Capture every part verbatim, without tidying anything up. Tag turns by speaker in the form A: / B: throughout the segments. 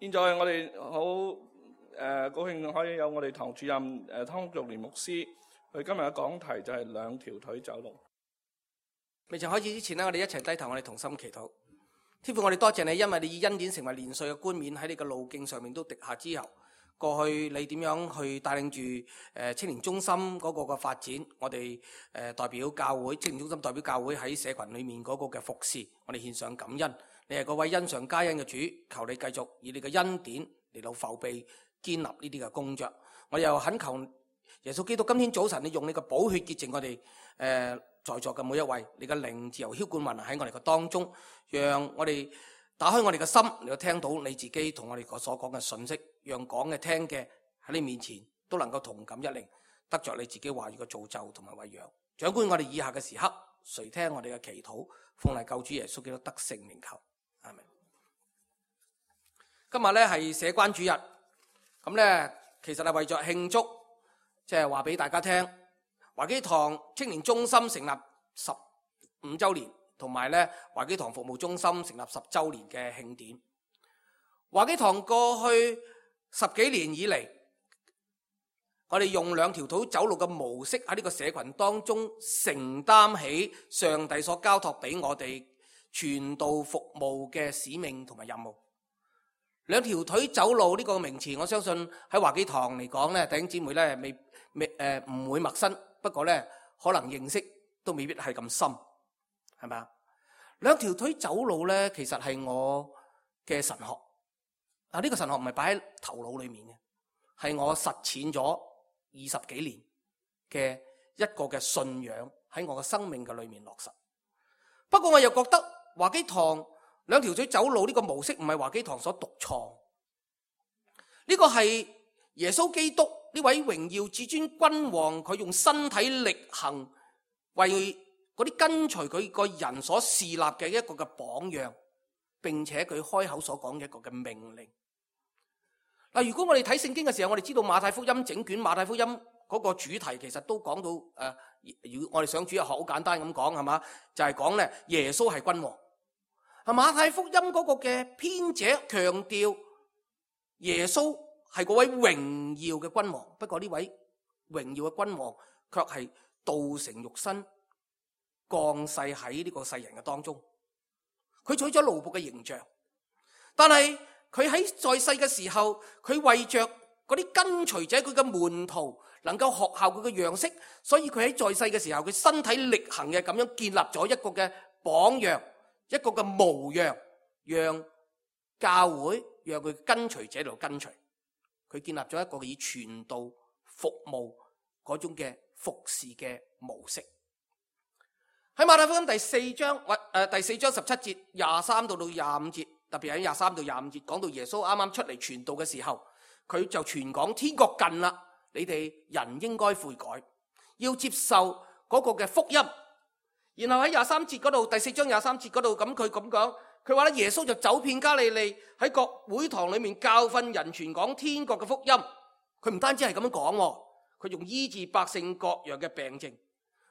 A: 現在我哋好誒高興可以有我哋堂主任誒湯玉蓮牧師，佢今日嘅講題就係兩條腿走路。
B: 未曾開始之前呢，我哋一齊低頭，我哋同心祈禱。天父，我哋多謝你，因為你以恩典成為年歲嘅冠冕喺你嘅路徑上面都滴下之後，過去你點樣去帶領住誒青年中心嗰個嘅發展，我哋誒代表教會青年中心代表教會喺社群裏面嗰個嘅服侍，我哋獻上感恩。你係嗰位恩上加恩嘅主，求你繼續以你嘅恩典嚟到覆庇建立呢啲嘅工作。我又懇求耶穌基督，今天早晨你用你嘅寶血潔淨我哋誒、呃、在座嘅每一位，你嘅靈自由澆灌運行喺我哋嘅當中，讓我哋打開我哋嘅心嚟到聽到你自己同我哋所講嘅信息，讓講嘅聽嘅喺你面前都能夠同感一靈，得着你自己話語嘅造就同埋餵養。掌管我哋以下嘅時刻，垂聽我哋嘅祈禱，奉嚟救主耶穌基督得聖名求。阿們。今日咧係社關主日，咁咧其實係為咗慶祝，即係話俾大家聽，華基堂青年中心成立十五周年，同埋咧華基堂服務中心成立十周年嘅慶典。華基堂過去十幾年以嚟，我哋用兩條腿走路嘅模式喺呢個社群當中承擔起上帝所交託俾我哋傳道服務嘅使命同埋任務。兩條腿走路呢個名詞，我相信喺華基堂嚟講咧，弟兄姊妹咧未未誒唔會陌生，不過咧可能認識都未必係咁深，係咪啊？兩條腿走路咧，其實係我嘅神學。啊，呢個神學唔係擺喺頭腦裏面嘅，係我實踐咗二十幾年嘅一個嘅信仰喺我嘅生命嘅裏面落實。不過我又覺得華基堂兩條腿走路呢個模式唔係華基堂所獨創，呢個係耶穌基督呢位榮耀至尊君王，佢用身體力行為嗰啲跟隨佢個人所侍立嘅一個嘅榜樣，並且佢開口所講嘅一個嘅命令。嗱，如果我哋睇聖經嘅時候，我哋知道馬太福音整卷馬太福音嗰個主題其實都講到誒，如、呃、果我哋上主日學好簡單咁講係嘛，就係講咧耶穌係君王。啊，馬太福音嗰個嘅編者強調耶穌係嗰位榮耀嘅君王，不過呢位榮耀嘅君王卻係道成肉身降世喺呢個世人嘅當中。佢取咗奴僕嘅形象，但係佢喺在世嘅時候，佢為着嗰啲跟隨者，佢嘅門徒能夠學效佢嘅樣式，所以佢喺在世嘅時候，佢身體力行嘅咁樣建立咗一個嘅榜樣，一個嘅模樣，讓教會讓佢跟隨者嚟跟隨。佢建立咗一個以傳道服務嗰種嘅服侍嘅模式。喺馬太福音第四章或誒第四章十七節廿三到到廿五節，特別喺廿三到廿五節講到耶穌啱啱出嚟傳道嘅時候，佢就傳講天國近啦，你哋人應該悔改，要接受嗰個嘅福音。然後喺廿三節嗰度，第四章廿三節嗰度，咁佢咁講，佢話咧耶穌就走遍加利利，喺各會堂裏面教訓人，傳講天國嘅福音。佢唔單止係咁樣講，佢仲醫治百姓各樣嘅病症。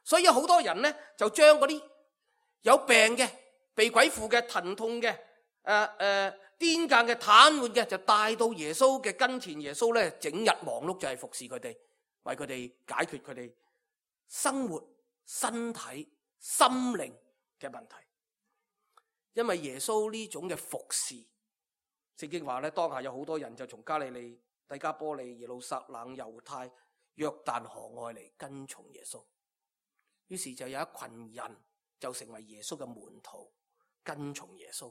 B: 所以有好多人咧，就將嗰啲有病嘅、被鬼附嘅、疼痛嘅、誒誒癲癇嘅、癱瘓嘅，就帶到耶穌嘅跟前。耶穌咧整日忙碌就係服侍佢哋，為佢哋解決佢哋生活、身體、心靈嘅問題。因為耶穌呢種嘅服侍，聖經話咧，當下有好多人就從加利利、低加波利、耶路撒冷、猶太、約旦河外嚟跟從耶穌。於是就有一群人就成為耶穌嘅門徒，跟從耶穌。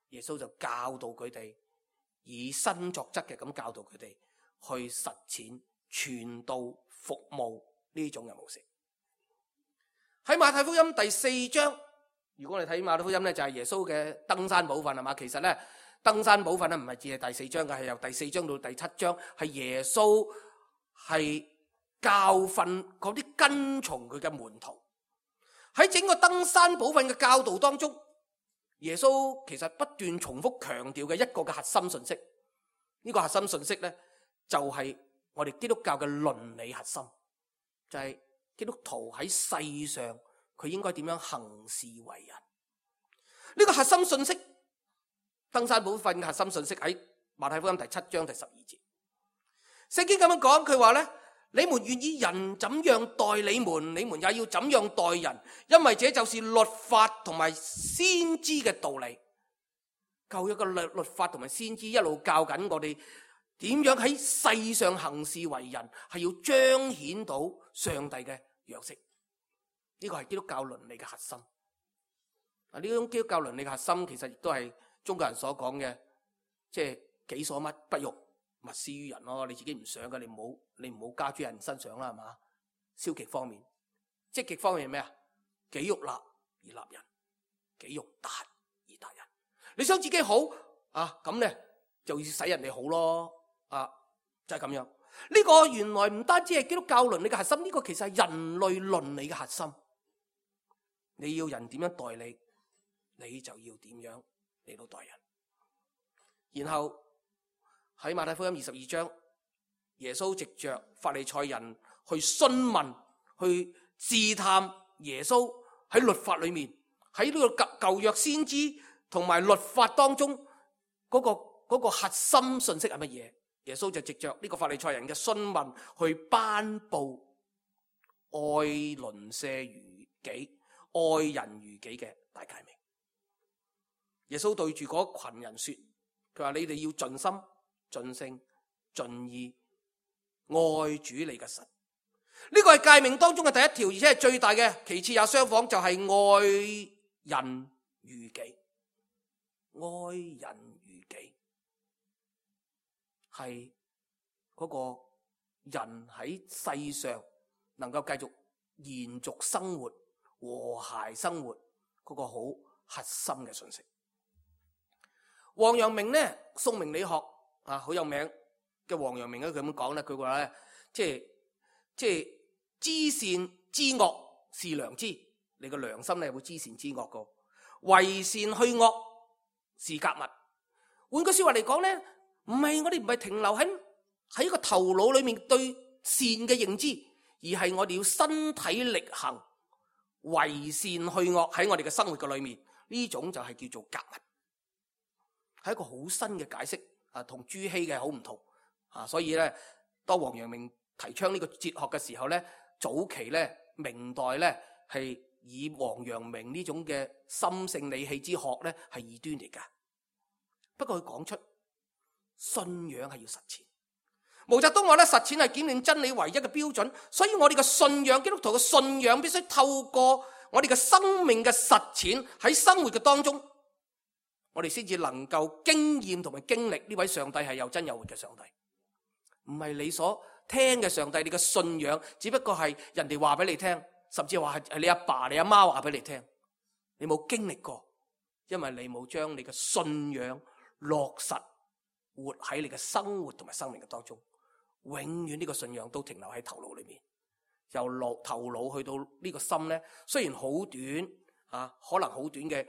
B: 耶穌就教導佢哋，以身作則嘅咁教導佢哋去實踐傳道服務呢種嘅模式。喺馬太福音第四章，如果我哋睇馬太福音咧，就係耶穌嘅登山寶訓係嘛。其實咧，登山寶訓咧唔係只係第四章嘅，係由第四章到第七章，係耶穌係教訓嗰啲跟從佢嘅門徒。喺整個登山寶訓嘅教導當中，耶穌其實不斷重複強調嘅一個嘅核心信息，呢個核心信息咧就係我哋基督教嘅倫理核心，就係基督徒喺世上佢應該點樣行事為人。呢個核心信息，登山寶訓嘅核心信息喺馬太福音第七章第十二節。聖經咁樣講，佢話咧：你們願意人怎樣待你們，你們也要怎樣待人，因為這就是律法同埋先知嘅道理。舊約嘅律律法同埋先知一路教緊我哋點樣喺世上行事為人，係要彰顯到上帝嘅樣式。呢個係基督教倫理嘅核心。啊，呢種基督教倫理嘅核心，其實亦都係中國人所講嘅，即係己所乜不欲，勿施於人咯。你自己唔想嘅，你唔好你唔好加諸人身上啦，係嘛？消極方面，積極方面係咩啊？己欲立而立人，己欲達而達人。你想自己好啊，咁咧就要使人哋好咯，啊，就係咁樣。呢個原來唔單止係基督教倫理嘅核心，呢個其實係人類倫理嘅核心。你要人點樣待你，你就要點樣嚟到待人。然後喺馬太福音二十二章，耶穌藉着法利賽人去詢問、去試探耶穌喺律法裏面，喺呢個舊舊約先知同埋律法當中嗰個嗰個核心信息係乜嘢？耶穌就藉着呢個法利賽人嘅詢問去頒布愛鄰舍如己、愛人如己嘅大誡命。耶穌對住嗰群人說，佢話你哋要盡心、盡性、盡意愛主你嘅神。呢個係誡命當中嘅第一條，而且係最大嘅，其次也相仿，就係愛人如己。愛人如己係嗰個人喺世上能夠繼續延續生活、和諧生活嗰個好核心嘅信息。王陽明呢，宋明理學啊好有名嘅王陽明咧，佢咁講咧，佢話咧，即係即係知善知惡是良知，你個良心咧會知善知惡個，為善去惡是格物。換句說話嚟講咧，唔係我哋唔係停留喺喺一個頭腦裏面對善嘅認知，而係我哋要身體力行，為善去惡喺我哋嘅生活嘅裏面，呢種就係叫做格物。係一個好新嘅解釋啊，同朱熹嘅好唔同啊，所以咧，當王陽明提倡呢個哲學嘅時候咧，早期咧明代咧係以王陽明呢種嘅心性理氣之學咧係異端嚟噶。不過佢講出信仰係要實踐。毛澤東話咧，實踐係檢驗真理唯一嘅標準，所以我哋嘅信仰，基督徒嘅信仰必須透過我哋嘅生命嘅實踐喺生活嘅當中，我哋先至能夠經驗同埋經歷呢位上帝係有真有活嘅上帝，唔係你所聽嘅上帝。你嘅信仰只不過係人哋話俾你聽，甚至話係你阿爸你阿媽話俾你聽，你冇經歷過，因為你冇將你嘅信仰落實活喺你嘅生活同埋生命嘅當中。永遠呢個信仰都停留喺頭腦裏面，由腦頭腦去到呢個心咧，雖然好短啊，可能好短嘅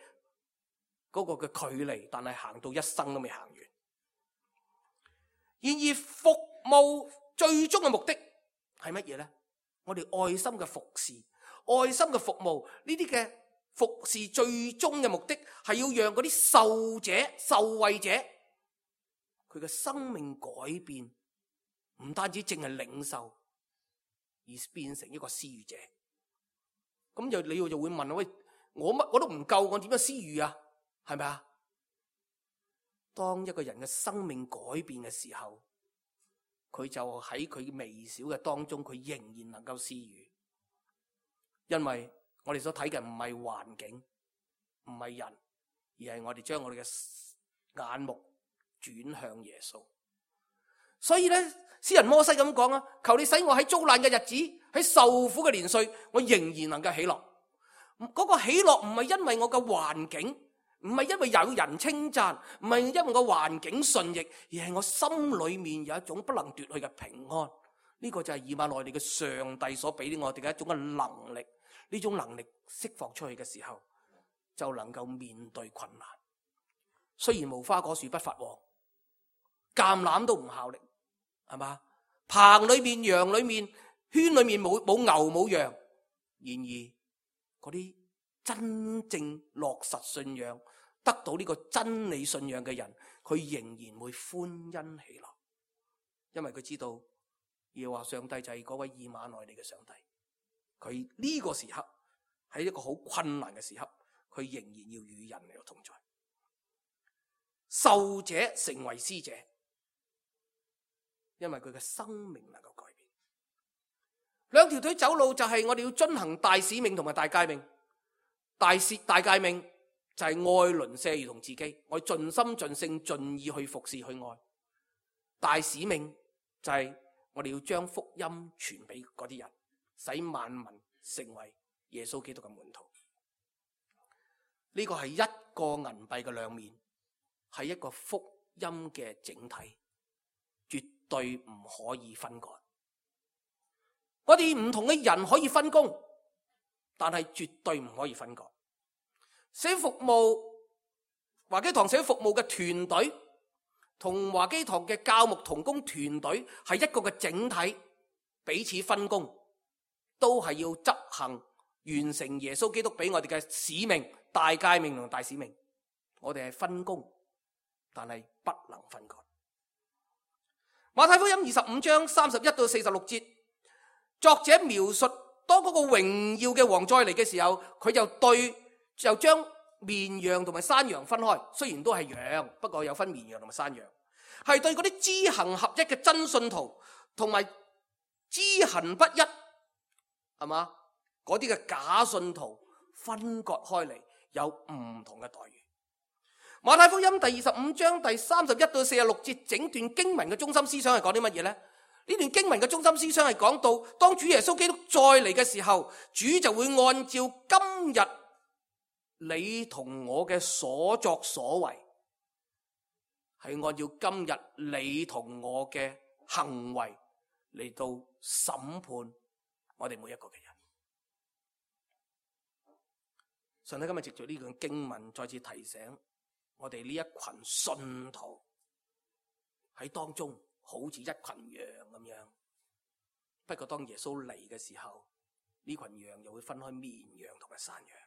B: 嗰個嘅距離，但係行到一生都未行完。然而服務最終嘅目的係乜嘢咧？我哋愛心嘅服侍，愛心嘅服務，呢啲嘅服侍最終嘅目的係要讓嗰啲受者、受惠者，佢嘅生命改變，唔單止淨係領受，而變成一個施予者。咁就你就會問，喂，我乜我都唔夠，我點樣施予啊？係咪啊？當一個人嘅生命改變嘅時候，佢就喺佢微小嘅當中，佢仍然能夠施予。因為我哋所睇嘅唔係環境，唔係人，而係我哋將我哋嘅眼目轉向耶穌。所以咧，詩人摩西咁講啊，求你使我喺遭難嘅日子，喺受苦嘅年歲，我仍然能夠喜樂。嗰個喜樂唔係因為我嘅環境，唔係因為有人稱讚，唔係因為個環境順逆，而係我心裏面有一種不能奪去嘅平安。呢個就係以馬內利嘅上帝所俾我哋嘅一種嘅能力。呢種能力釋放出去嘅時候，就能夠面對困難。雖然無花果樹不發旺，橄欖都唔效力，係嘛？棚裏面、羊裏面、圈裏面冇冇牛冇羊，然而嗰啲真正落實信仰、得到呢個真理信仰嘅人，佢仍然會歡欣喜樂，因為佢知道耶和華上帝就係嗰位以馬內利嘅上帝。佢呢個時刻喺一個好困難嘅時刻，佢仍然要與人嚟同在。受者成為施者，因為佢嘅生命能夠改變。兩條腿走路就係我哋要遵行大使命同埋大誡命。大使大誡命就係愛鄰舍如同自己，我盡心盡性盡意去服侍去愛。大使命就係我哋要將福音傳俾嗰啲人，使萬民成為耶穌基督嘅門徒。呢個係一個銀幣嘅兩面，係一個福音嘅整體，絕對唔可以分割。我哋唔同嘅人可以分工，但係絕對唔可以分割。社服務華基堂社服務嘅團隊同華基堂嘅教牧同工團隊係一個嘅整體，彼此分工，都係要執行完成耶穌基督俾我哋嘅使命、大誡命同大使命。我哋係分工，但係不能分割。馬太福音二十五章三十一到四十六節，作者描述當嗰個榮耀嘅王再嚟嘅時候，佢就對就將綿羊同埋山羊分開，雖然都係羊，不過有分綿羊同埋山羊，係對嗰啲知行合一嘅真信徒同埋知行不一，係嘛？嗰啲嘅假信徒分割開嚟，有唔同嘅待遇。馬太福音第二十五章第三十一到四十六節，整段經文嘅中心思想係講啲乜嘢呢？呢段經文嘅中心思想係講到，當主耶穌基督再嚟嘅時候，主就會按照今日你同我嘅所作所為，係按照今日你同我嘅行為嚟到審判我哋每一個嘅人。上帝今日藉住呢段經文再次提醒我哋呢一群信徒喺當中好似一群羊咁樣，不過當耶穌嚟嘅時候，呢群羊又會分開綿羊同埋山羊。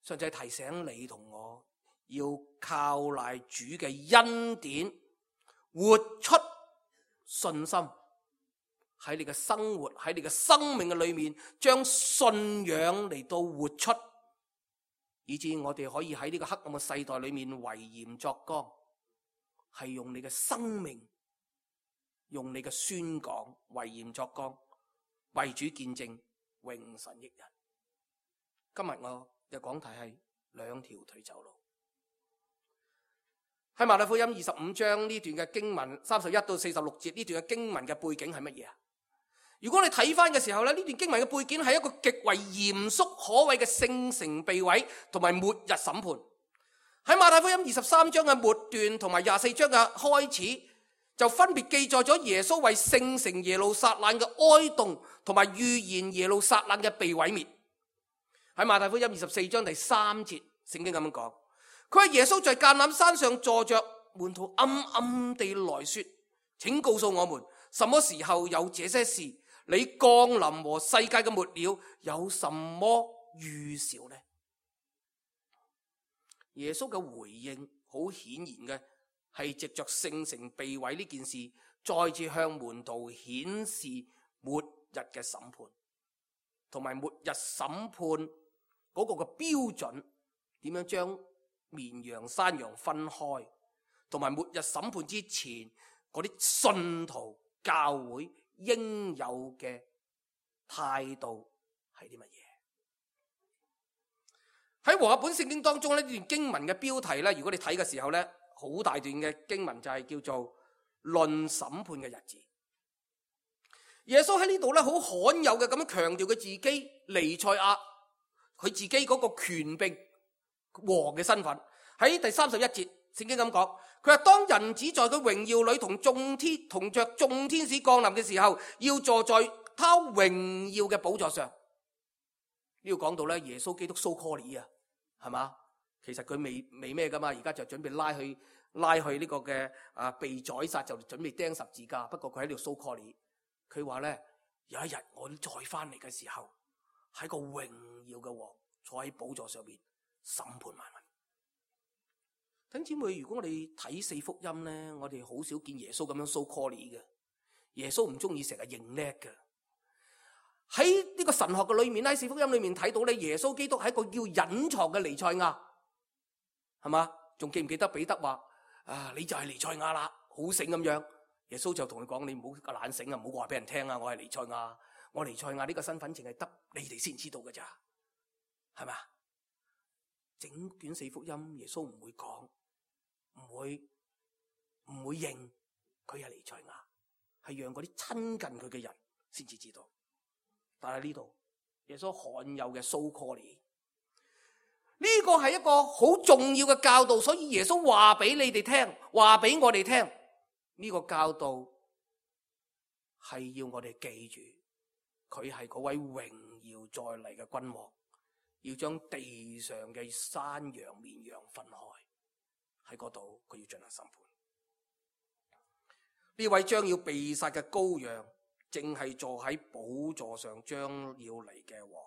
B: 上帝提醒你同我要靠賴主嘅恩典，活出信心，喺你嘅生活，喺你嘅生命嘅裏面，將信仰嚟到活出，以致我哋可以喺呢個黑暗嘅世代裏面為鹽作光，係用你嘅生命，用你嘅宣講為鹽作光，為主見證，榮神益人。今日我嘅講題係兩條腿走路。喺馬太福音二十五章呢段嘅經文三十一到四十六節，呢段嘅經文嘅背景係乜嘢啊？如果你睇翻嘅時候咧，呢段經文嘅背景係一個極為嚴肅可畏嘅聖城被毀同埋末日審判。喺馬太福音二十三章嘅末段同埋廿四章嘅開始，就分別記載咗耶穌為聖城耶路撒冷嘅哀慟同埋預言耶路撒冷嘅被毀滅。喺馬太福音二十四章第三節，聖經咁樣講，佢話耶穌在橄欖山上坐着，門徒暗暗地來說，請告訴我們，什麼時候有這些事？你降臨和世界嘅末了有什麼預兆呢？耶穌嘅回應好顯然嘅係藉着聖城被毀呢件事，再次向門徒顯示末日嘅審判，同埋末日審判嗰個嘅標準，點樣將綿羊山羊分開，同埋末日審判之前嗰啲信徒教會應有嘅態度係啲乜嘢？喺和合本聖經當中呢段經文嘅標題呢，如果你睇嘅時候呢，好大段嘅經文就係叫做論審判嘅日子。耶穌喺呢度呢，好罕有嘅咁樣強調佢自己彌賽亞，佢自己嗰個權柄王嘅身份。喺第三十一節聖經咁講，佢話當人子在佢榮耀裏同眾天同着眾天使降臨嘅時候，要坐在他榮耀嘅寶座上。呢度講到咧，耶穌基督 so call 啊，係嘛？其實佢未未咩噶嘛，而家就準備拉去拉去呢個嘅啊被宰殺，就準備釘十字架。不過佢喺度 so call，佢話咧，有一日我再翻嚟嘅時候，喺個榮耀嘅王坐喺寶座上邊審判萬民。弟兄姊妹，如果我哋睇四福音咧，我哋好少見耶穌咁樣 so call 嘅。耶穌唔中意成日認叻嘅。喺呢個神學嘅裏面，喺四福音裏面睇到咧，耶穌基督係一個叫隱藏嘅彌賽亞，係嘛？仲記唔記得彼得話啊？你就係彌賽亞啦，好醒咁樣。耶穌就同佢講：你唔好個懶醒啊，唔好話俾人聽啊！我係彌賽亞，我彌賽亞呢個身份淨係得你哋先知道㗎咋，係嘛？整卷四福音，耶穌唔會講，唔會唔會認佢係彌賽亞，係讓嗰啲親近佢嘅人先至知道。但係呢度耶穌罕有嘅 so call， 呢個係一個好重要嘅教導，所以耶穌話俾你哋聽，話俾我哋聽。呢個教導係要我哋記住，佢係嗰位榮耀再嚟嘅君王，要將地上嘅山羊綿羊分開，喺嗰度佢要進行審判。呢位將要被殺嘅羔羊，正係坐喺寶座上將要嚟嘅王。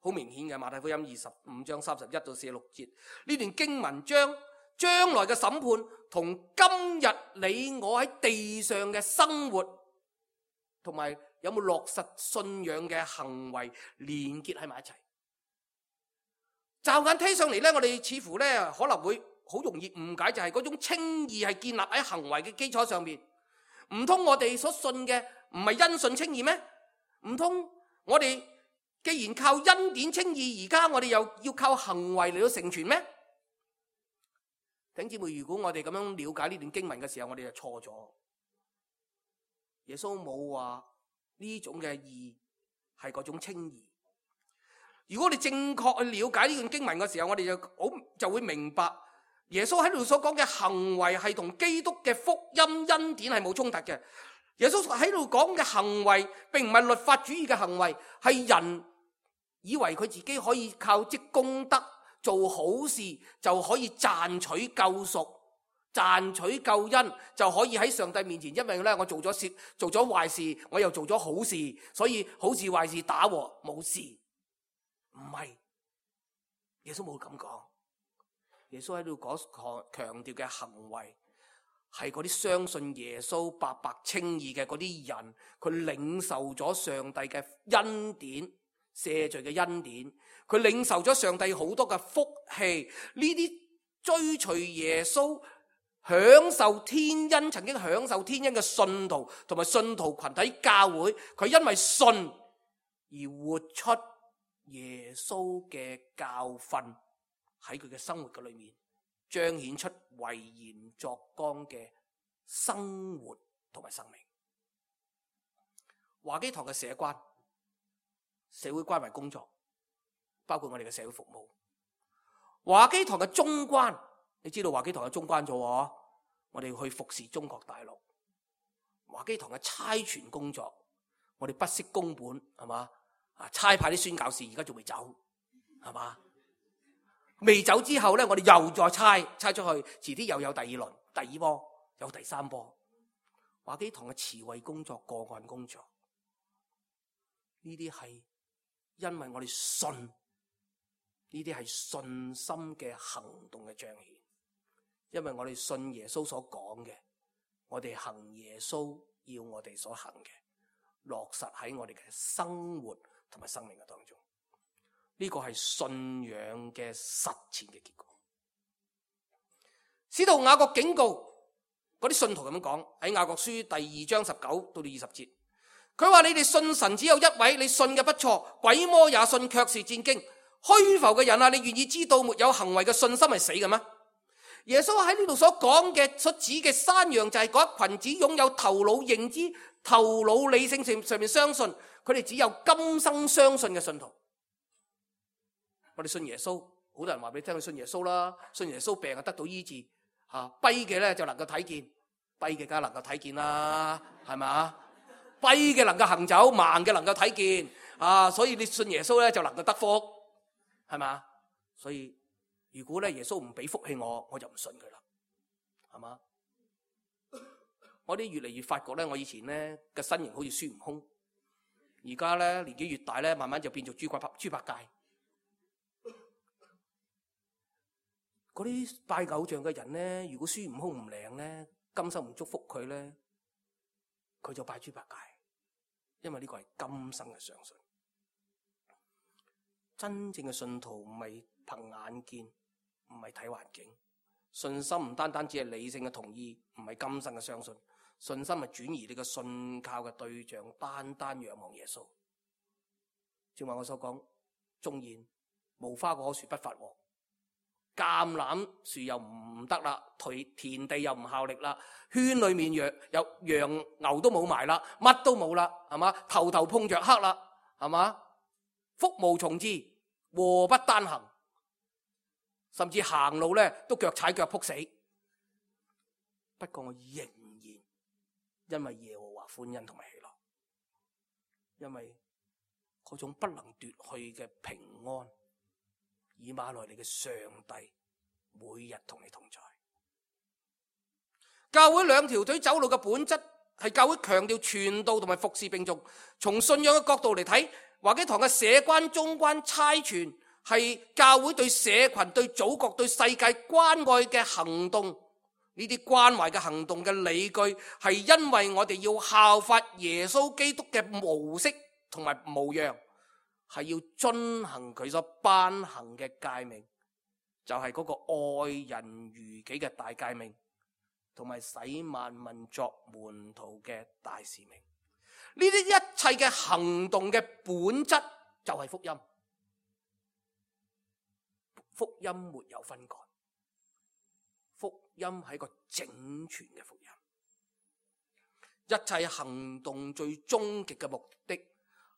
B: 好明顯嘅，馬太福音二十五章三十一到四十六節，呢段經文將將來嘅審判同今日你我喺地上嘅生活同埋有冇落實信仰嘅行為連結喺埋一齊。驟眼睇上嚟咧，我哋似乎咧可能會好容易誤解，就係嗰種稱義係建立喺行為嘅基礎上面。唔通我哋所信嘅唔係因信稱義咩？唔通我哋既然靠恩典稱義，而家我哋又要靠行為嚟到成全咩？弟兄姊妹，如果我哋咁樣了解呢段經文嘅時候，我哋就錯咗。耶穌冇話呢種嘅義係嗰種稱義。如果我哋正確去了解呢段經文嘅時候，我哋就好就會明白耶穌喺度所講嘅行為係同基督嘅福音恩典係冇衝突嘅。耶穌喺度講嘅行為並唔係律法主義嘅行為，係人以為佢自己可以靠積功德做好事就可以賺取救贖、賺取救恩，就可以喺上帝面前，因為咧我做咗事、做咗壞事，我又做咗好事，所以好事壞事打和冇事。唔係，耶穌冇咁講。耶穌喺度講強調嘅行為係嗰啲相信耶穌白白稱義嘅嗰啲人，佢領受咗上帝嘅恩典、赦罪嘅恩典，佢領受咗上帝好多嘅福氣。呢啲追隨耶穌、享受天恩、曾經享受天恩嘅信徒同埋信徒群體教會，佢因為信而活出耶穌嘅教訓，喺佢嘅生活嘅裏面彰顯出為鹽作光嘅生活同埋生命。華基堂嘅社關、社會關懷工作，包括我哋嘅社會服務。華基堂嘅中關，你知道華基堂嘅中關咗喎，我哋要去服侍中國大陸。華基堂嘅差傳工作，我哋不惜工本，係嘛？啊！差派啲宣教士而家仲未走，係嘛？未走之後咧，我哋又再差差出去，遲啲又有第二輪、第二波，有第三波。華基堂嘅慈惠工作、個案工作，呢啲係因為我哋信，呢啲係信心嘅行動嘅彰顯。因為我哋信耶穌所講嘅，我哋行耶穌要我哋所行嘅，落實喺我哋嘅生活同埋生命嘅當中，呢個係信仰嘅實踐嘅結果。使徒雅各警告嗰啲信徒咁樣講，喺雅各書第二章十九到到二十節，佢話：你哋信神只有一位，你信嘅不錯，鬼魔也信，卻是戰驚。虛浮嘅人啊，你願意知道沒有行為嘅信心係死嘅咩？耶穌喺呢度所講嘅所指嘅山羊就係嗰一群只擁有頭腦認知、頭腦理性上上面相信，佢哋只有今生相信嘅信徒。我哋信耶穌，好多人話俾你聽，佢信耶穌啦，信耶穌病就得到醫治，吓跛嘅咧就能夠睇見，跛嘅梗係能夠睇見啦，係咪啊？跛嘅能夠行走，盲嘅能夠睇見，啊，所以你信耶穌咧就能夠得福，係咪啊？所以如果咧耶穌唔俾福氣我，我就唔信佢啦，係嘛？我哋越嚟越發覺咧，我以前咧嘅身形好似孫悟空，而家咧年紀越大咧，慢慢就變做豬八豬八戒。嗰啲拜偶像嘅人咧，如果孫悟空唔靈咧，今生唔祝福佢咧，佢就拜豬八戒，因為呢個係今生嘅相信。真正嘅信徒唔係憑眼見，唔係睇環境，信心唔單單只係理性嘅同意，唔係今生嘅相信，信心係轉移你嘅信靠嘅對象，單單仰望耶穌。正話我所講，縱然無花果樹不發旺，橄欖樹又唔得啦，田地又唔效力啦，圈裏面羊又羊牛都冇埋啦，乜都冇啦，係嘛？頭頭碰着黑啦，係嘛？福無從至，禍不單行，甚至行路咧都腳踩腳仆死。不過我仍然因為耶和華歡欣同埋喜樂，因為嗰種不能奪去嘅平安，以馬內利嘅上帝每日同你同在。教會兩條腿走路嘅本質係教會強調傳道同埋服侍並重。從信仰嘅角度嚟睇，華基堂嘅社關、中關、差傳係教會對社群、對祖國、對世界關愛嘅行動。呢啲關懷嘅行動嘅理據係因為我哋要效法耶穌基督嘅模式同埋模樣，係要遵行佢所頒行嘅誡命，就係嗰個愛人如己嘅大誡命，同埋使萬民作門徒嘅大使命。呢啲一切嘅行動嘅本質就係福音。福音沒有分割，福音係一個整全嘅福音。一切行動最終極嘅目的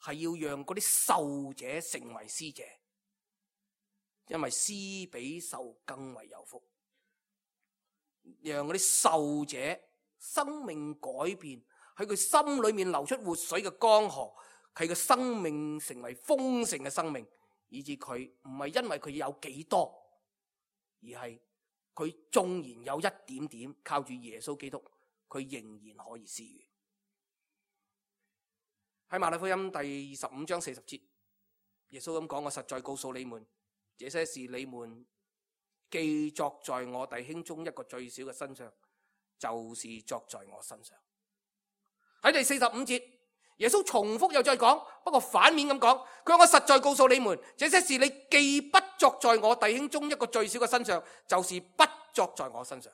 B: 係要讓嗰啲受者成為施者，因為施比受更為有福。讓嗰啲受者生命改變，喺佢心裏面流出活水嘅江河，佢嘅生命成為豐盛嘅生命，以致佢唔係因為佢有幾多，而係佢縱然有一點點，靠住耶穌基督，佢仍然可以施予。喺馬太福音第十五章四十節，耶穌咁講：我實在告訴你們，這些事你們既作在我弟兄中一個最小嘅身上，就是作在我身上。喺第四十五節，耶穌重複又再講，不過反面咁講，佢話：我實在告訴你們，這些事你既不作在我弟兄中一個最小嘅身上，就是不作在我身上。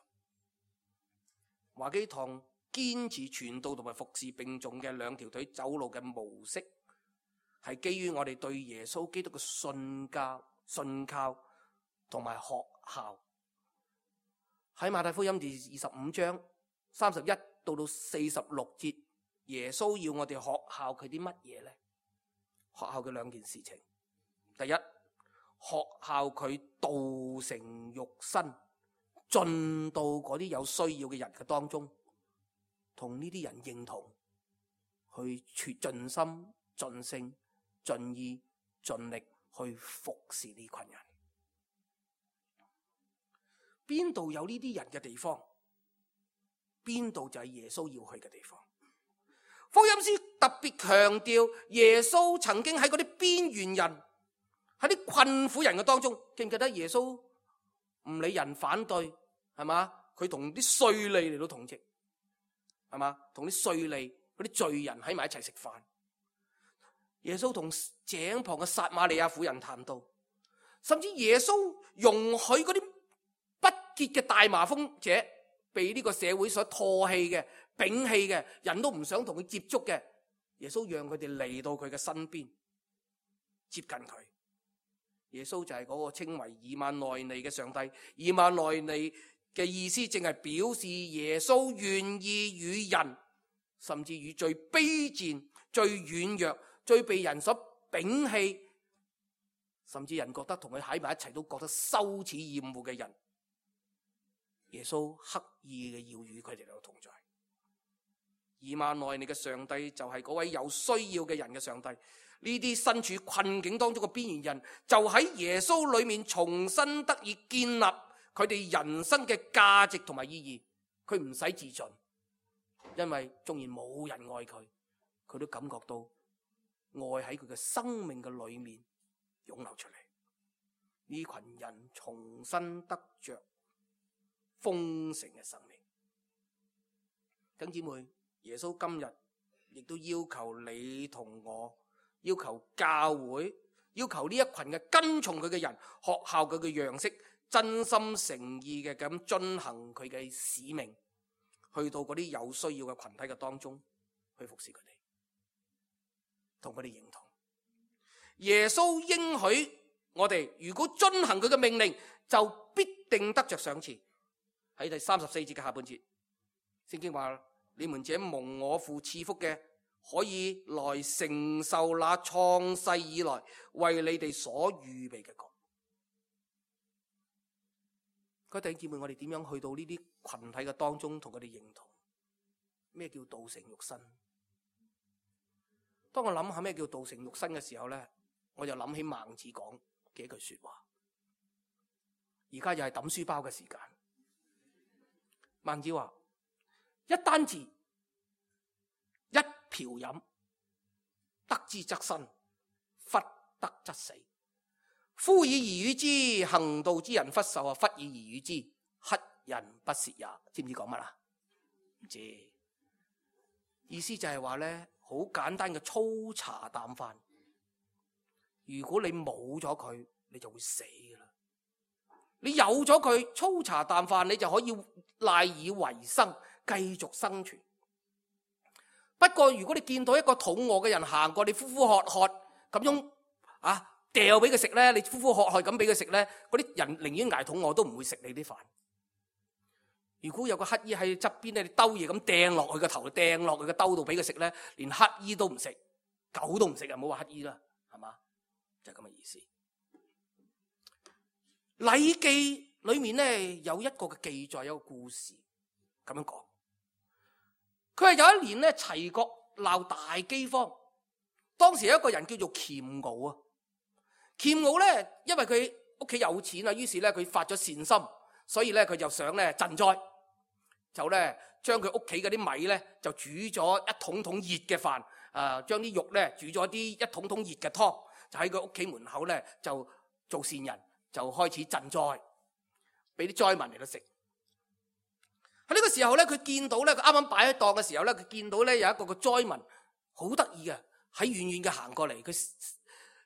B: 華基堂堅持傳道同埋服侍並重嘅兩條腿走路嘅模式，係基於我哋對耶穌基督嘅信教、信靠同埋學校。喺馬太福音第二十五章三十一到到四十六節，耶穌要我哋學效佢啲乜嘢呢？學效嘅兩件事情，第一，學效佢道成肉身，進到嗰啲有需要嘅人嘅當中，同呢啲人認同，去全盡心、盡性、盡意、盡力去服侍呢群人。邊度有呢啲人嘅地方，邊度就係耶穌要去嘅地方。福音書特別強調耶穌曾經喺嗰啲邊緣人、喺啲困苦人嘅當中，記唔記得耶穌唔理人反對，係嘛？佢同啲稅吏嚟到同席，係嘛？同啲稅吏嗰啲罪人喺埋一齊食飯。耶穌同井旁嘅撒瑪利亞婦人談到，甚至耶穌容許嗰啲不潔嘅大麻風者被呢個社會所唾棄嘅、摒棄嘅，人都唔想同佢接觸嘅，耶穌讓佢哋嚟到佢嘅身邊，接近佢。耶穌就係嗰個稱為以馬內利嘅上帝。以馬內利嘅意思正係表示耶穌願意與人，甚至與最卑賤、最軟弱、最被人所摒棄，甚至人覺得同佢喺埋一齊都覺得羞恥厭惡嘅人，耶穌刻意嘅要與佢哋有同在。以馬內利嘅上帝就係嗰位有需要嘅人嘅上帝。呢啲身處困境當中嘅邊緣人，就喺耶穌裏面重新得以建立佢哋人生嘅價值同埋意義。佢唔使自盡，因為縱然冇人愛佢，佢都感覺到愛喺佢嘅生命嘅裏面湧流出嚟。呢群人重新得着豐盛嘅生命。弟兄姊妹，耶穌今日亦都要求你同我，要求教會，要求呢一群嘅跟從佢嘅人，學效佢嘅樣式，真心誠意嘅咁遵行佢嘅使命，去到嗰啲有需要嘅群體嘅當中去服侍佢哋，同佢哋認同。耶穌應許我哋，如果遵行佢嘅命令，就必定得着賞賜。喺第三十四節嘅下半節，聖經話：你們這蒙我父賜福嘅，可以來承受那創世以來為你哋所預備嘅國。各位弟兄姊妹，我哋點樣去到呢啲群體嘅當中同佢哋認同？咩叫道成肉身？當我諗下咩叫道成肉身嘅時候呢，我就諗起孟子講嘅一句說話。而家又係抌書包嘅時間。孟子話：一簞字，一瓢飲，得之則生，忽得則死。夫以而與之，行道之人忽受啊！忽以而與之，乞人不屑也。知唔知講乜啊？唔知。意思就係話咧，好簡單嘅粗茶淡飯。如果你冇咗佢，你就會死噶啦。你有咗佢，粗茶淡飯，你就可以賴以為生，繼續生存。不過如果你見到一個肚餓嘅人行過，你呼呼喝喝咁樣啊掉俾佢食咧，你呼呼喝喝咁俾佢食咧，嗰啲人寧願挨肚餓都唔會食你啲飯。如果有個乞衣喺側邊咧，你兜嘢咁掟落去個頭，掟落去個兜度俾佢食咧，連乞衣都唔食，狗都唔食啊！唔好話乞衣啦，係嘛？就係咁嘅意思。禮記裏面咧有一個嘅記載，有一個故事咁樣講。佢係有一年咧，齊國鬧大饑荒，當時有一個人叫做虔敖啊。虔敖咧，因為佢屋企有錢啊，於是咧佢發咗善心，所以咧佢就想咧賑災，就咧將佢屋企嗰啲米咧就煮咗一桶桶熱嘅飯，啊將啲肉咧煮咗啲一桶桶熱嘅湯，就喺佢屋企門口咧就做善人，就開始賑災，俾啲災民嚟到食。喺呢個時候咧，佢見到咧，佢啱啱擺喺檔嘅時候咧，佢見到咧有一個個災民好得意嘅，喺遠遠嘅行過嚟，佢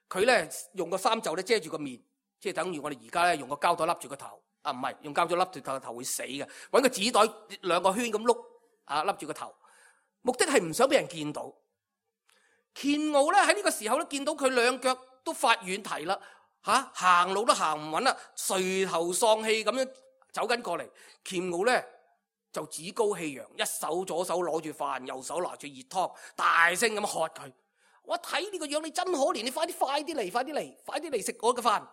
B: 佢咧用個衫袖咧遮住個面，即係等於我哋而家咧用個膠袋笠住個頭，啊唔係用膠袋笠住個頭會死嘅，搵個紙袋兩個圈咁碌啊笠住個頭，目的係唔想俾人見到。虔敖咧喺呢個時候咧見到佢兩腳都發軟蹄啦，吓、啊、行路都行唔穩啦，垂頭喪氣咁樣走緊過嚟，虔敖咧就趾高氣揚，一手左手攞住飯，右手拿住熱湯，大聲咁喝佢。我睇呢個樣你真可憐，你快啲快啲嚟，快啲嚟，快啲嚟食我嘅飯。呢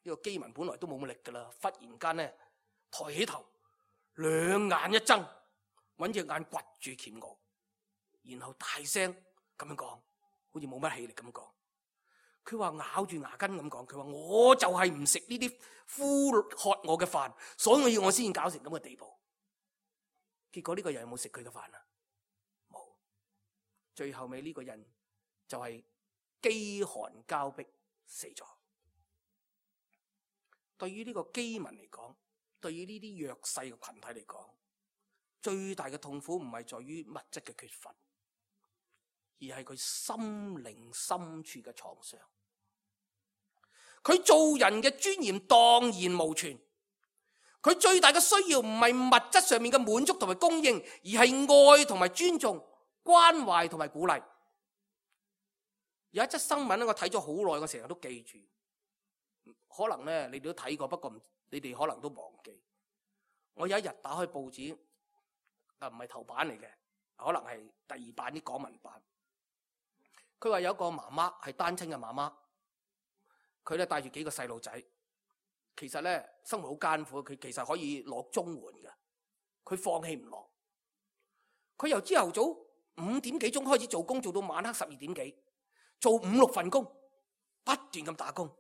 B: 個饑民本來都冇乜力噶啦，忽然間咧抬起頭，兩眼一睜，搵隻眼掘住虔敖，然後大聲咁樣講，好似冇乜氣力咁講。佢話咬住牙根咁講，佢話我就係唔食呢啲呼喝我嘅飯，所以我先搞成咁嘅地步。結果呢個人有冇食佢嘅飯啊？冇。最後尾呢個人就係飢寒交迫死咗。對於呢個饑民嚟講，對於呢啲弱勢嘅群體嚟講，最大嘅痛苦唔係在於物質嘅缺乏，而係佢心靈深處嘅創傷。佢做人嘅尊嚴蕩然無存。佢最大嘅需要唔係物質上面嘅滿足同埋供應，而係愛同埋尊重、關懷同埋鼓勵。有一則新聞咧，我睇咗好耐，我成日都記住。可能咧你哋都睇過，不過你哋可能都忘記。我有一日打開報紙，啊唔係頭版嚟嘅，可能係第二版啲港聞版。佢話有一個媽媽係單親嘅媽媽，佢咧帶住幾個細路仔。其實咧生活好艱苦，佢其實可以攞綜援嘅，佢放棄唔落。佢由朝頭早五點幾鐘開始做工，做到晚黑十二點幾，做五六份工，不斷咁打工。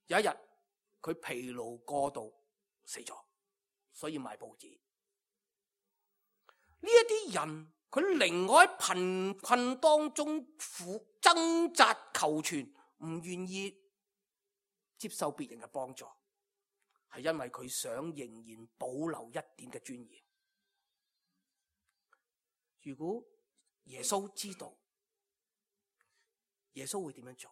B: 有一日佢疲勞過度死咗，所以賣報紙。呢一啲人佢寧可喺貧困當中苦掙扎求存，唔願意接受別人嘅幫助，係因為佢想仍然保留一點嘅尊嚴。如果耶穌知道，耶穌會點樣做？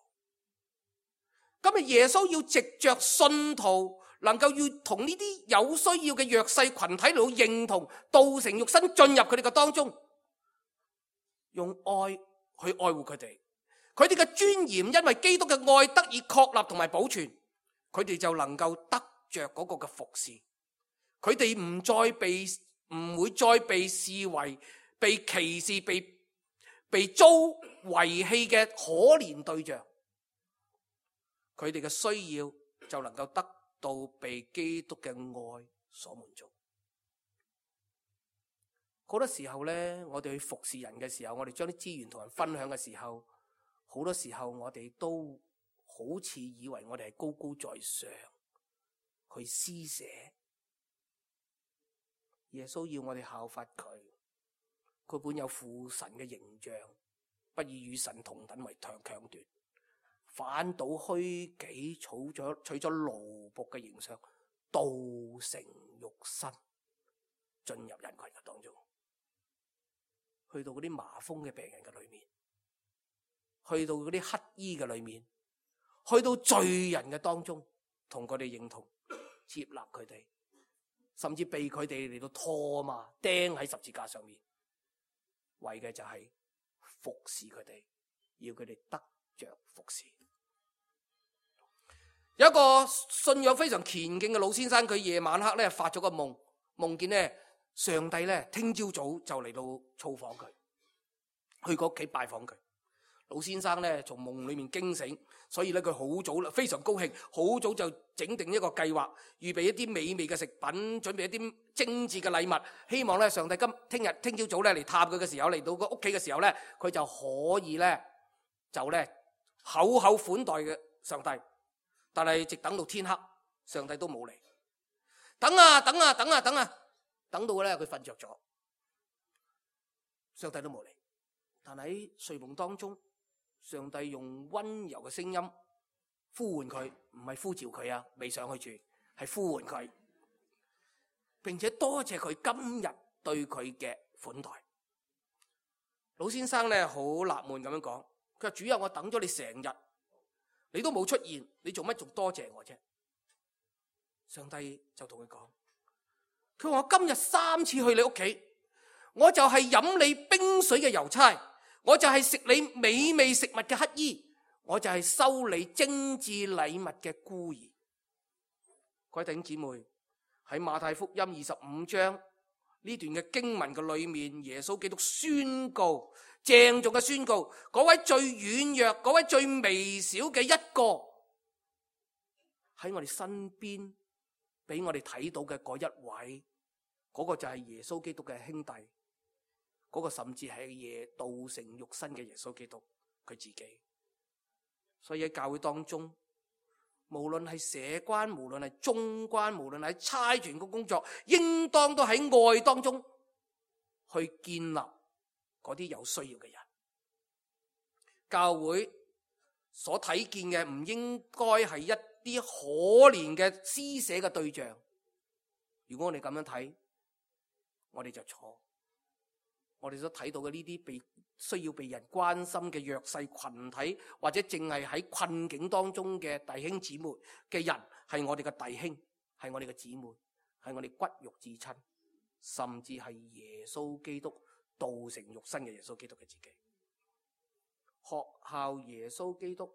B: 今日耶穌要藉着信徒能夠要同呢啲有需要嘅弱勢群體嚟到認同，道成肉身進入佢哋嘅當中，用愛去愛護佢哋。佢哋嘅尊嚴因為基督嘅愛得以確立同埋保存，佢哋就能夠得着嗰個嘅服侍。佢哋唔再被唔會再被視為被歧視、被被遭遺棄嘅可憐對象。佢哋嘅需要就能夠得到被基督嘅愛所滿足。好多時候呢，我哋去服侍人嘅時候，我哋將啲資源同人分享嘅時候，好多時候我哋都好似以為我哋係高高在上去施捨。耶穌要我哋效法佢，佢本有父神嘅形象，不以與神同等為強強奪，反倒虛己，取咗取咗奴僕嘅形象，道成肉身，進入人群嘅當中，去到嗰啲麻風嘅病人嘅裏面，去到嗰啲乞衣嘅裏面，去到罪人嘅當中，同佢哋認同，接納佢哋，甚至被佢哋嚟到拖嘛，釘喺十字架上面，為嘅就係服侍佢哋，要佢哋得着服侍。有一個信仰非常虔敬嘅老先生，佢夜晚黑咧發咗個夢，夢見咧上帝咧聽朝早就嚟到造訪佢，去個屋企拜訪佢。老先生咧從夢裏面驚醒，所以咧佢好早啦，非常高興，好早就整定一個計劃，預備一啲美味嘅食品，準備一啲精緻嘅禮物，希望咧上帝今聽日聽朝早咧嚟探佢嘅時候，嚟到個屋企嘅時候咧，佢就可以咧就咧厚厚款待嘅上帝。但係直等到天黑，上帝都冇嚟。等啊等啊等啊等啊，等到咧佢瞓着咗，上帝都冇嚟。但喺睡夢當中，上帝用溫柔嘅聲音呼喚佢，唔係呼召佢啊，未上去住，係呼喚佢，並且多謝佢今日對佢嘅款待。老先生咧好納悶咁樣講，佢話主啊，我等咗你成日，你都冇出現，你做乜仲多謝我啫？上帝就同佢講，佢話我今日三次去你屋企，我就係飲你冰水嘅郵差，我就係食你美味食物嘅乞衣，我就係收你精緻禮物嘅孤兒。各位弟兄姊妹，喺馬太福音二十五章呢段嘅經文嘅裏面，耶穌基督宣告，鄭重嘅宣告，嗰位最軟弱、嗰位最微小嘅一個喺我哋身邊俾我哋睇到嘅嗰一位，嗰個就係耶穌基督嘅兄弟，嗰個甚至係耶道成肉身嘅耶穌基督佢自己。所以喺教會當中，無論係社關，無論係中關，無論係差傳嘅工作，應當都喺愛當中去建立嗰啲有需要嘅人。教會所睇見嘅唔應該係一啲可憐嘅施捨嘅對象。如果我哋咁樣睇，我哋就錯。我哋所睇到嘅呢啲被需要被人關心嘅弱勢群體，或者淨係喺困境當中嘅弟兄姊妹嘅人，係我哋嘅弟兄，係我哋嘅姊妹，係我哋骨肉至親，甚至係耶穌基督道成肉身嘅耶穌基督嘅自己。學效耶穌基督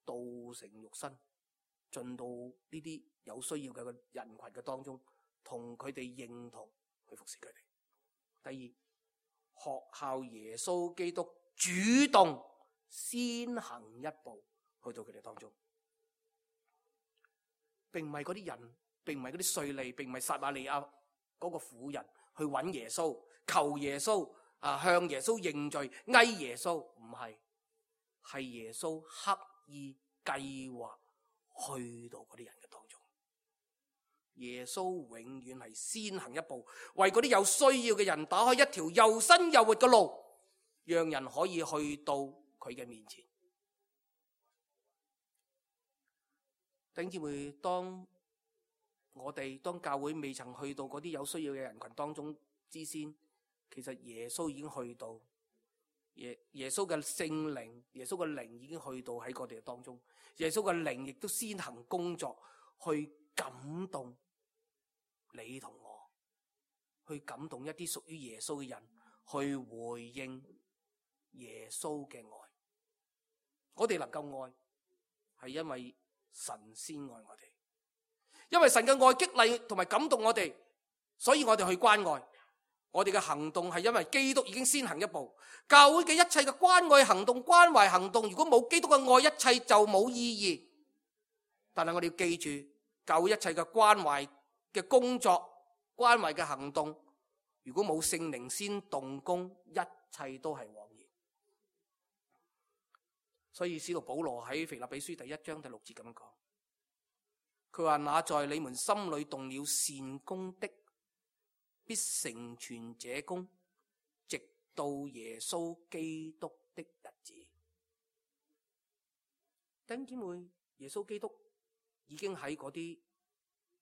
B: 道成肉身，進到呢啲有需要嘅人群嘅當中，同佢哋認同去服侍佢哋。第二，學效耶穌基督主動先行一步去到佢哋當中，並唔係嗰啲人，並唔係嗰啲稅吏，並唔係撒瑪利亞嗰個婦人去揾耶穌，求耶穌啊，向耶穌認罪，哀耶穌，唔係，係耶穌刻意計劃去到嗰啲人嘅當中。耶穌永遠係先行一步，為嗰啲有需要嘅人打開一條又新又活嘅路，讓人可以去到佢嘅面前。弟兄姊妹，當我哋當教會未曾去到嗰啲有需要嘅人群當中之先，其實耶穌已經去到，耶耶穌嘅聖靈，耶穌嘅靈已經去到喺我哋當中，耶穌嘅靈亦都先行工作，去感動你同我，去感動一啲屬於耶穌嘅人，去回應耶穌嘅愛。我哋能夠愛，係因為神先愛我哋，因為神嘅愛激勵同埋感動我哋，所以我哋去關愛。我哋嘅行動係因為基督已經先行一步。教會嘅一切嘅關愛行動、關懷行動，如果冇基督嘅愛，一切就冇意義。但係我哋要記住，教會一切嘅關懷嘅工作、關懷嘅行動，如果冇聖靈先動工，一切都係枉然。所以使徒保羅喺腓立比書第一章第六節咁樣講，佢話：那在你們心裏動了善工的，必成全這工，直到耶穌基督的日子。弟兄姊妹，耶穌基督已經喺嗰啲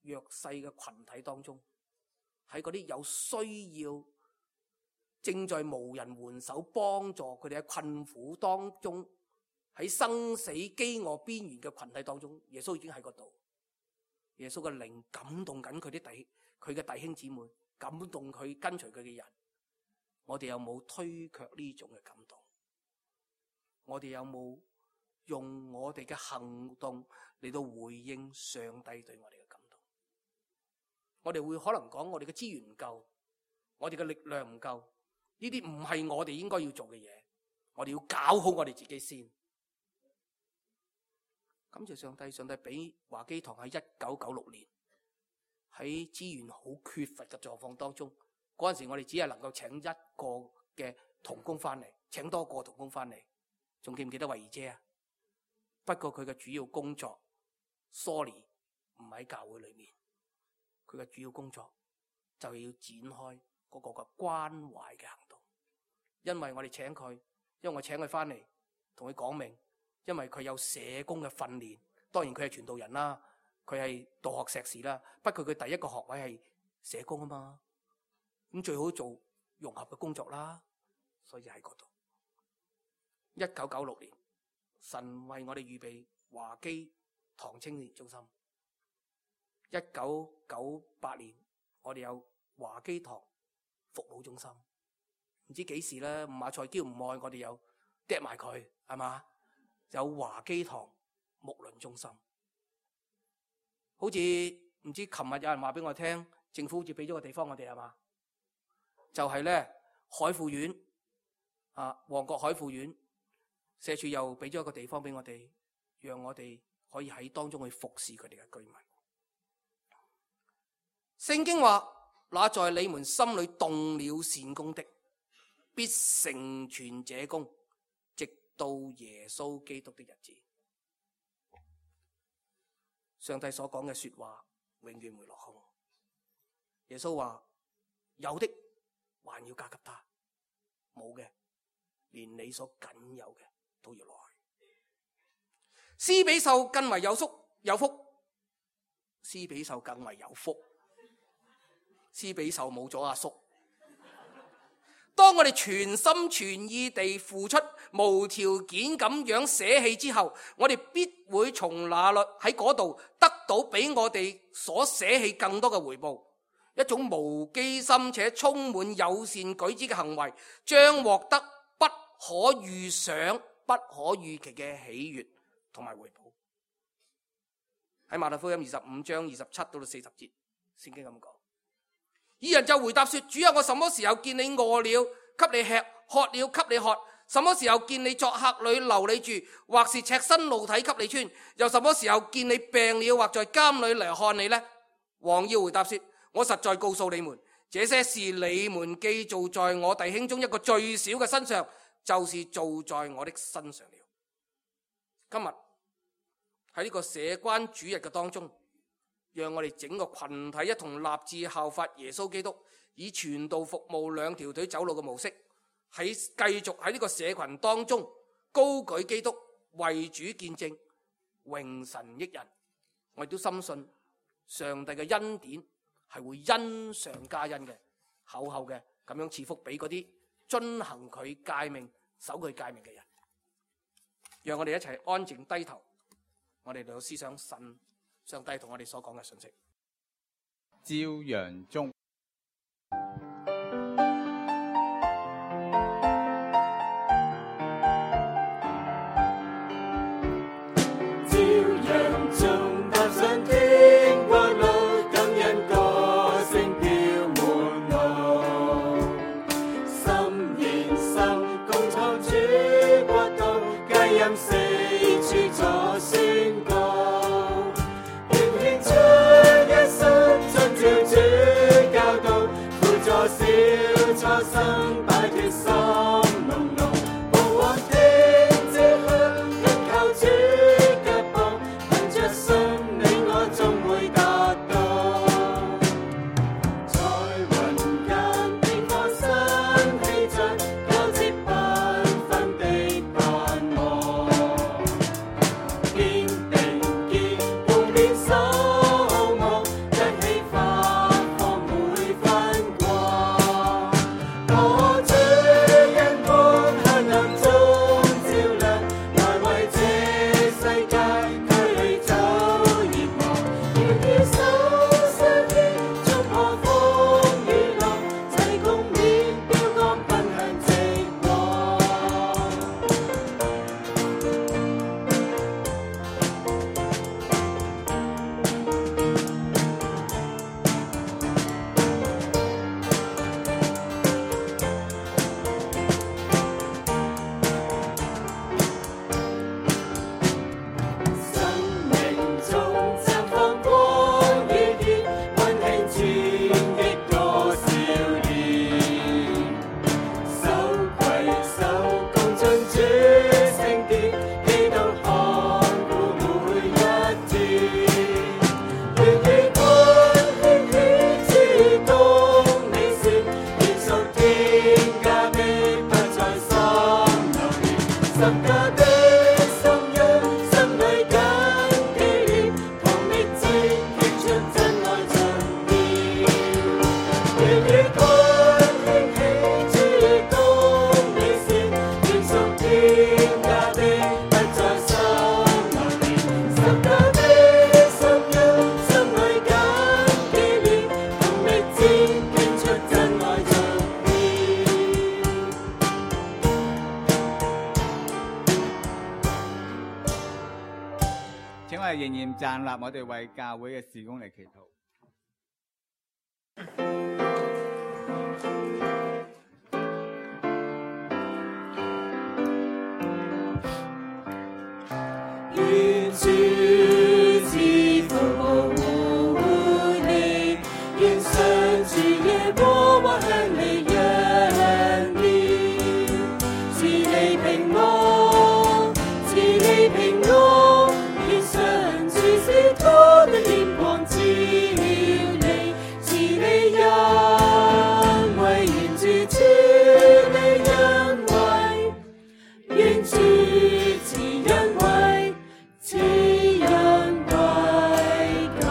B: 弱勢嘅群體當中，喺嗰啲有需要、正在無人援手幫助佢哋喺困苦當中，喺生死飢餓邊緣嘅群體當中，耶穌已經喺嗰度。耶穌嘅靈感動緊佢啲弟佢嘅弟兄姊妹，感動佢跟隨佢嘅人。我哋有冇推卻呢種嘅感動？我哋有冇用我哋嘅行動嚟到回應上帝對我哋嘅感動？我哋會可能講我哋嘅資源唔夠，我哋嘅力量唔夠，呢啲唔係我哋應該要做嘅嘢。我哋要搞好我哋自己先。感謝上帝，上帝俾華基堂喺一九九六年喺資源好缺乏嘅狀況當中，嗰陣時我哋只係能夠請一個嘅同工翻嚟，請多個同工翻嚟。仲記唔記得慧儀姐啊？不過佢嘅主要工作 ，sorry 唔喺教會裏面，佢嘅主要工作就係要展開嗰個嘅關懷嘅行動。因為我哋請佢，因為我請佢翻嚟，同佢講明。因為佢有社工嘅訓練，當然佢係傳道人啦，佢係道學碩士啦。不過佢第一個學位係社工啊嘛，咁最好做融合嘅工作啦，所以喺嗰度。一九九六年，神為我哋預備華基堂青年中心。一九九八年，我哋有華基堂服務中心。唔知幾時咧，吳馬賽嬌唔愛我哋有掟埋佢，係嘛？有華基堂牧輪中心，好似唔知琴日有人話俾我聽，政府好似俾咗個地方我哋，係嘛？就係咧海富苑啊，旺角海富苑社署又俾咗一個地方俾我哋，讓我哋可以喺當中去服侍佢哋嘅居民。聖經話：那在你們心裏動了善工的，必成全這工，到耶穌基督的日子。上帝所講嘅說話永遠唔會落空。耶穌話：有的還要加給他，冇嘅連你所僅有嘅都要落去。施比受更為有福，有福。施比受更為有福。施比受冇咗阿叔。當我哋全心全意地付出，無條件咁樣捨棄之後，我哋必會從那裏喺嗰度得到比我哋所捨棄更多嘅回報。一種無機心且充滿友善舉止嘅行為，將獲得不可預想、不可預期嘅喜悅同埋回報。喺馬太福音二十五章二十七到四十節，聖經咁講。二人就回答說：主啊，我什麼時候見你餓了，給你吃；渴了，給你喝？什麼時候見你作客旅，留你住，或是赤身露體給你穿？又什麼時候見你病了，或在監裏嚟看你呢？王要回答說：我實在告訴你們，這些事你們既做在我弟兄中一個最小嘅身上，就是做在我的身上了。今日喺呢個社關主日嘅當中，讓我哋整個群體一同立志效法耶穌基督，以傳道服務兩條腿走路嘅模式，喺繼續喺呢個社群當中高舉基督，為主見證，榮神益人，我亦都深信上帝嘅恩典係會恩上加恩嘅，厚厚嘅咁樣賜福俾嗰啲遵行佢誡命、守佢誡命嘅人。讓我哋一齊安靜低頭，我哋嚟到思想神上帝同我哋所講嘅信息。
C: 朝陽中，
D: 朝陽中踏上天國路，感恩歌聲飄滿路，心連心共創主國度，佳音四處作宣告，願獻出一生遵照主教導，輔助小初生擺脫心籠籠，無往聽這香緊靠主腳步，憑着信你我終會達到，在雲間變化新氣象，交織繽紛的盼望，堅定肩共勉守望，一起發放每分光，我主恩光黑暗中照亮，來為這世界驅離走熱望，願以手相牽，衝破風雨浪，齊共勉標竿奔向直往。生命中綻放光與熱，溫馨傳遞多少年，手攜手共進主聖殿，基督看顧每一天，願喜歡興起主動美善，願屬天家的不再心流連，十架的心恩，心裏緊記念，同力戰擊出真愛盡妙，願與佢興起主動美善，願屬天家的不再心流連，十架的心恩，心裏緊記念，同力戰擊出真愛盡妙。
C: 請我哋仍然站立，我哋為教會嘅事工嚟祈禱。
D: 願主賜福保護你，願上主耶和華向你仰面，賜你平安，賜你平安，願上主使他的臉光照你，賜你恩惠，願主賜你恩惠，願主賜恩惠。賜恩惠給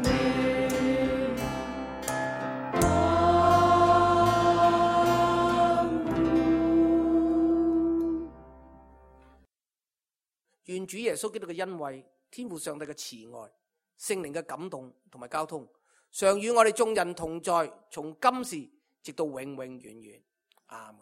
D: 你。阿門。
B: 願主耶穌基督嘅恩惠、天父上帝嘅慈愛、聖靈嘅感動同埋交通，常與我哋眾人同在，從今時直到永永遠遠。阿門。